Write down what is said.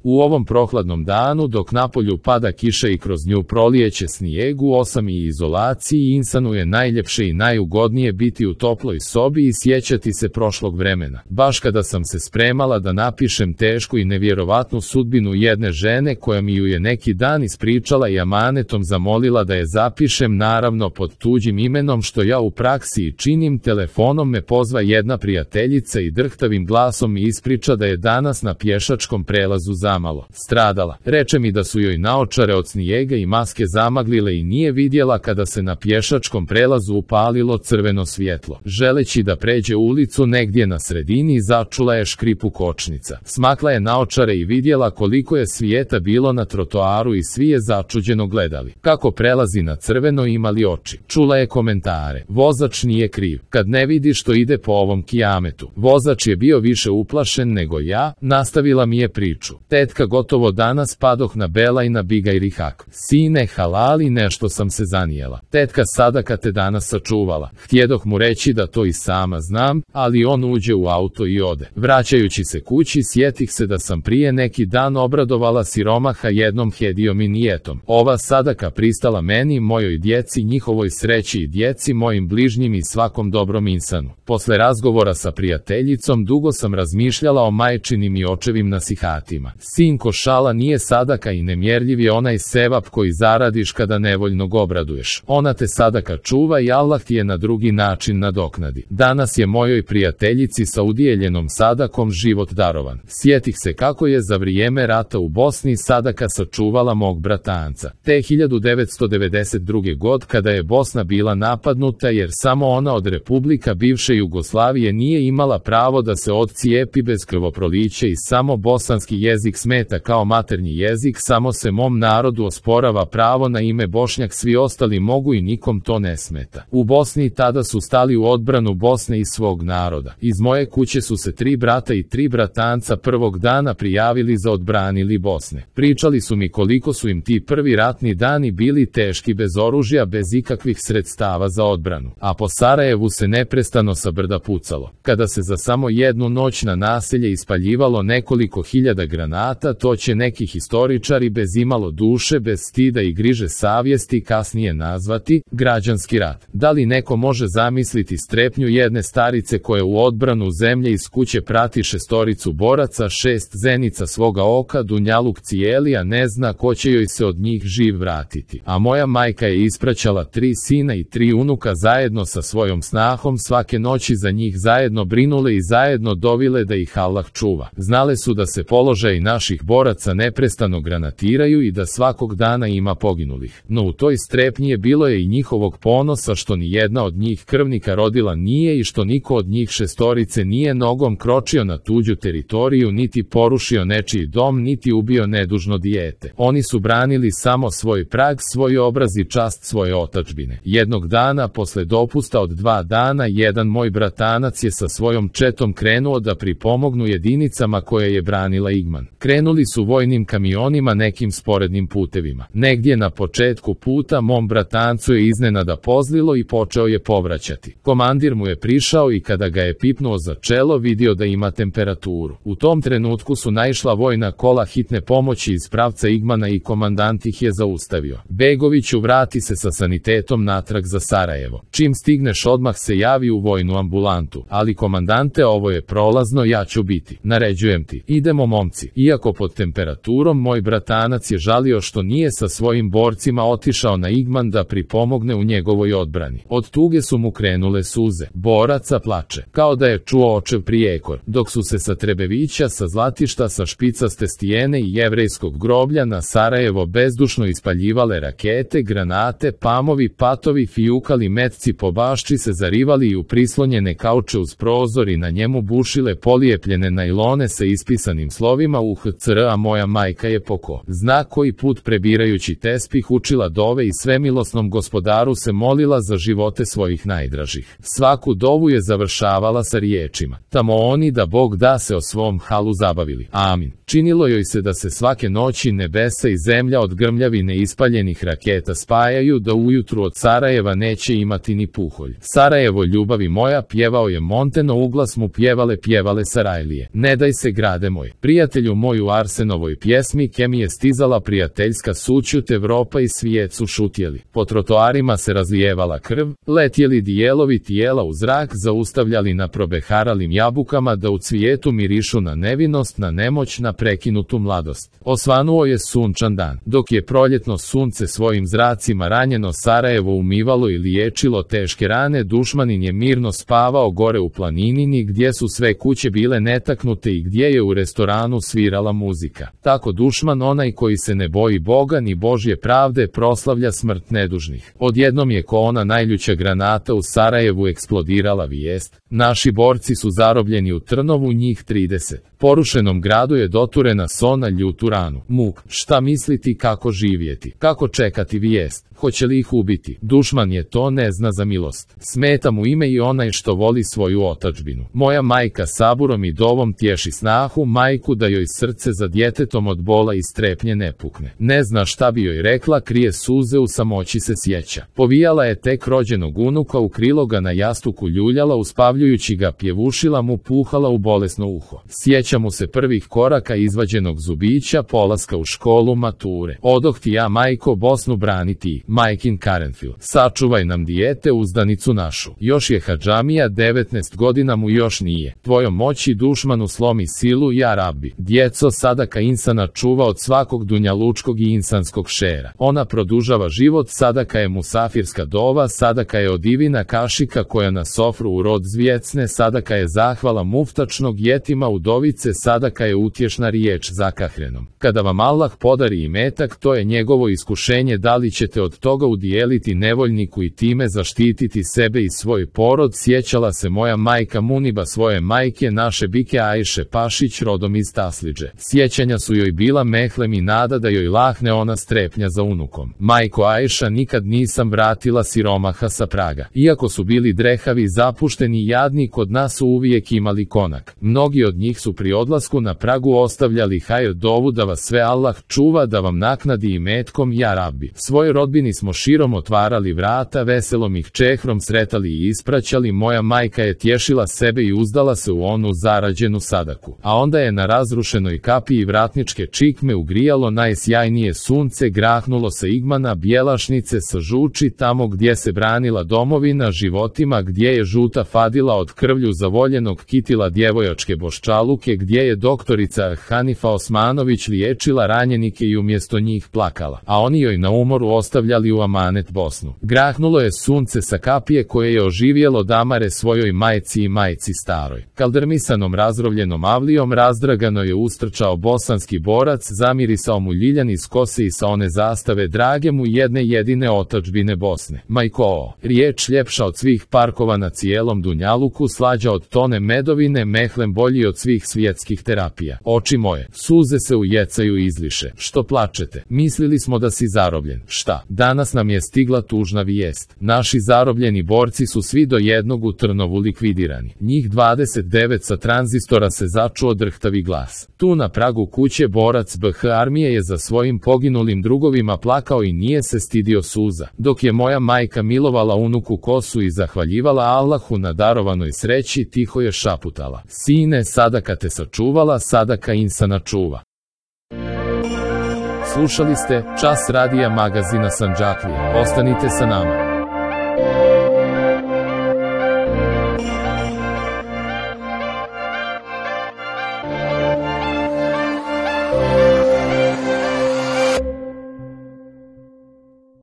U ovom prohladnom danu, dok napolju pada kiša i kroz nju prolijeće snijeg, u 8 i izolaciji insanu je najljepše i najugodnije biti u toploj sobi i sjećati se prošlog vremena. Baš kada sam se spremala da napišem tešku i nevjerovatnu sudbinu jedne žene koja mi ju je neki dan ispričala i amanetom zamolila da je zapišem, naravno pod tuđim imenom, što ja u praksi i činim, telefonom me pozva jedna prijateljica i drhtavim glasom mi ispriča da je danas na pješačkom prelazu zamalo stradala. Reče mi da su joj naočare od snijega i maske zamaglile i nije vidjela kada se na pješačkom prelazu upalilo crveno svjetlo. Želeći da pređe ulicu, negdje na sredini začula je škripu kočnica. Smakla je naočare i vidjela koliko je svijeta bilo na trotoaru i svi je začuđeno gledali. Kako prelazi na crveno, imali oči. Čula je komentare. Vozač nije kriv. Kad ne vidi što ide po ovom kijametu. Vozač je bio više uplašen nego ja, nastavila mi je priču. Tetka, gotovo danas padoh na Bela i na Biga i Rihak. Sine, halali, nešto sam se zanijela. Tetka, sadaka te danas sačuvala. Htjedoh mu reći da to i sama znam, ali on uđe u auto i ode. Vraćajući se kući, sjetih se da sam prije neki dan obradovala siromaha jednom hedijom i nijetom. Ova sadaka pristala meni, mojoj djeci, njihovoj sreći i djeci, mojim bližnjim i svakom dobrom insanu. Posle razgovora sa prijateljicom dugo sam razmišljala o majčinim i očevim nasihatima. Sinko, šala nije sadaka i nemjerljiv je onaj sevap koji zaradiš kada nevoljno obraduješ. Ona te sadaka čuva i Allah ti je na drugi način nadoknadi. Danas je mojoj prijateljici sa udjeljenom sadakom život darovan. Sjetih se kako je za vrijeme rata u Bosni sadaka sačuvala mog bratanca. Te 1992. god, kada je Bosna bila napadnuta, jer samo ona od republika bivše Jugoslavije nije imala pravo da se odcijepi bez krvoprolića i samo bosanski jezik smeta kao maternji jezik, samo se mom narodu osporava pravo na ime Bošnjak, svi ostali mogu i nikom to ne smeta. U Bosni tada su stali u odbranu Bosne i svog naroda. Iz moje kuće su se 3 brata i 3 bratanca prvog dana prijavili za odbranili Bosne. Pričali su mi koliko su im ti prvi ratni dani bili teški, bez oružja, bez ikakvih sredstava za odbranu. A po Sarajevu se neprestano sa brda pucalo. Kada se za samo jednu noć na naselje ispaljivalo nekoliko hiljada granata, to će neki historičari bez imalo duše, bez stida i griže savjesti kasnije nazvati građanski rat. Da li neko može zamisliti strepnju jedne starice koja u odbranu zemlje iz kuće prati 6 boraca, 6 zenica svoga oka, dunjaluk cijeli, a ne zna ko će joj se od njih živ vratiti. A moja majka je ispraćala 3 sina i 3 unuka zajedno sa svojom snahom, svake noći za njih zajedno brinule i zajedno dovile da ih Allah čuva. Znale su da se položaji naših boraca neprestano granatiraju i da svakog dana ima poginulih. No u toj strepnji je bilo je i njihovog ponosa što ni jedna od njih krvnika rodila nije i što niko od njih 6 nije nogom kročio na tuđu teritoriju, niti porušio nečiji dom, niti ubio nedužno dijete. Oni su branili samo svoj prag, svoj obraz i čast svoje otadžbine. Jednog dana, posle dopusta od 2 dana, jedan moj bratanac je sa svojom četom krenuo da pripomognu jedinicama koje je branila Igman. Krenuli su vojnim kamionima nekim sporednim putevima. Negdje na početku puta mom bratancu je iznenada pozlilo i počeo je povraćati. Komandir mu je prišao i kada ga je pipnuo za čelo, vidio da ima temperaturu. U tom trenutku su naišla vojna kola hitne pomoći iz pravca Igmana i komandant ih je zaustavio. Begoviću, vrati se sa sanitetom natrag za Sarajevo. Čim stigneš odmah se javi u vojnu ambulantu. Ali komandante, ovo je prolazno, ja ću biti. Naređujem ti. Idemo, momci. Iako pod temperaturom, moj bratanac je žalio što nije sa svojim borcima otišao na Igman da pripomogne u njegovoj odbrani. Od tuge su mu krenule suze. Boraca plače, kao da je čuo očev prijekor, dok su se sa Trebevića, sa Zlatišta, sa Špicaste stijene i Jevrejskog groblja na Sarajevo bezdušno ispaljivale rakete, granate, pamovi, patovi, fijukali metci po bašči se zarivali i u prislonjene kauče uz prozor i na njemu bušile polijepljene najlone sa ispisanim slovima UHCR, a moja majka je poko zna koji put prebirajući tespih učila dove i svemilosnom gospodaru se molila za živote svojih najdražih. Svaku dovu je završavala sa riječima: tamo oni da Bog da se o svom halu zabavili. Amin. Činilo joj se da se svake noći nebesa i zemlja od grmljavine ispaljenih raketa spajaju, da ujutru od Sarajeva neće imati ni puholj. Sarajevo, ljubavi moja, pjevao je Monteno, uglas mu pjevale Sarajlije. Ne daj se, grade moj. Prijatelju moj, samoj u Arsenovoj pjesmi Kem je stizala prijateljska sućut, Evropa i svijet su šutjeli. Po trotoarima se razlijevala krv, letjeli dijelovi tijela u zrak, zaustavljali na probeharalim jabukama da u cvijetu mirišu na nevinost, na nemoć, na prekinutu mladost. Osvanuo je sunčan dan, dok je proljetno sunce svojim zracima ranjeno Sarajevo umivalo i liječilo teške rane, dušmanin je mirno spavao gore u planinini gdje su sve kuće bile netaknute i gdje je u restoranu svirala muzika. Tako dušman, onaj koji se ne boji Boga ni Božje pravde, proslavlja smrt nedužnih. Odjednom je ko ona najljuća granata u Sarajevu eksplodirala vijest: naši borci su zarobljeni u Trnovu, njih 30. Porušenom gradu je doturena sona ljutu ranu. Muk, šta misliti, kako živjeti, kako čekati vijest, hoće li ih ubiti? Dušman je to ne zna za milost. Smeta mu ime i onaj što voli svoju otadžbinu. Moja majka saburom i dovom tješi snahu, majku da joj srce za djetetom od bola i strepnje ne pukne. Ne zna šta bi joj rekla, krije suze, u samoći se sjeća. Povijala je tek rođenog unuka u krilo, ga na jastuku ljuljala, uspavljujući ga pjevušila mu, puhala u bolesno uho. Sjeća mu se prvih koraka, izvađenog zubića, polaska u školu, mature. Odoh ti ja, majko, Bosnu braniti, majkin Karenfil. Sačuvaj nam dijete, uzdanicu našu. Još je hadžamija, 19 godina mu još nije. Tvojom moći dušmanu slomi silu, ja Rabbi. Djeco, sadaka insana čuva od svakog dunjalučkog i insanskog šera. Ona produžava život, sadaka je musafirska dova, sadaka je od divina kašika koja na sofru u rod zvjecne, sadaka je zahvala muftačnog jetima udovice, sadaka je utješna riječ zakahrenom. Kada vam Allah podari imetak, to je njegovo iskušenje, da li ćete od toga udijeliti nevoljniku i time zaštititi sebe i svoj porod. Sjećala se moja majka Muniba svoje majke, naše bike Ajše Pašić, rodom iz Taslidže. Sjećanja su joj bila mehlem i nada da joj lahne ona strepnja za unukom. Majko Ajša, nikad nisam vratila siromaha sa praga. Iako su bili drehavi, zapušteni i jadni, kod nas su uvijek imali konak. Mnogi od njih su pri odlasku na pragu ostavljali hajr dovu da vas sve Allah čuva, da vam naknadi imetkom, ja Rabbi. Svoj rodbini smo širom otvarali vrata, veselom ih čehrom sretali i ispraćali. Moja majka je tješila sebe i uzdala se u onu zarađenu sadaku. A onda je na razrušenoj kapiji vratničke čikme ugrijalo najsjajnije sunce, grahnulo se igmana bjelašnice sa žuči, tamo gdje se branila domovina životima, gdje je žuta fadila od krvlju zavoljenog kitila djevojačke boščaluke, gdje je doktorica Hanifa Osmanović liječila ranjenike i umjesto njih plakala, a oni joj na umoru ostavljali u amanet Bosnu. Grahnulo je sunce sa kapije koje je oživjelo damare svojoj majci i majci staroj. Kaldrmisanom razrovljenom avlijom razdragano je ustrčao bosanski borac, zamirisao mu ljiljan iz kose i sa one zastave drage mu jedne jedine otadžbine Bosne. Majko, riječ ljepša od svih parkova na cijelom dunjaluku, slađa od tone medovine, mehlem bolji od svih svjetskih terapija. Oči moje, suze se ujecaju i izliše. Što plačete? Mislili smo da si zarobljen. Šta? Danas nam je stigla tužna vijest. Naši zarobljeni borci su svi do jednog u Trnovu likvidirani. Njih 29. Sa tranzistora se začuo drhtavi glas. Tu na pragu kuće borac BH armije je za svojim poginulim drugovima plakao i nije se stidio suza. Dok je moja majka milovala unuku kosu i zahvaljivala Allahu na darovanoj sreći, tiho je šaputala: sine, sadaka te sačuvala, sadaka insana čuva. Slušali ste Čas radija magazina Sandžaklija. Ostanite sa nama.